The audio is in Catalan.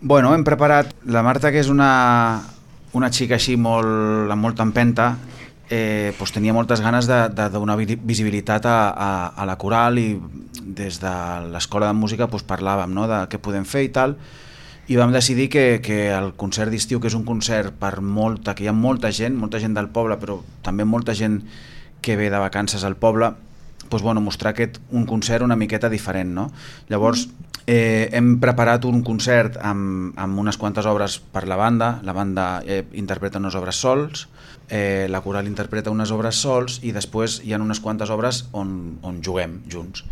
Bueno, hem preparat... La Marta, que és una xica així amb molta empenta, doncs tenia moltes ganes de donar visibilitat a la coral, i des de l'escola de música doncs parlàvem, no?, de què podem fer i tal, i vam decidir que el concert d'estiu, que és un concert que hi ha molta gent del poble, però també molta gent que ve de vacances al poble, doncs, bueno, mostrar un concert una miqueta diferent, no? Llavors hem preparat un concert amb unes quantes obres per la banda interpreta unes obres sols, la coral interpreta unes obres sols, i després hi ha unes quantes obres on juguem junts.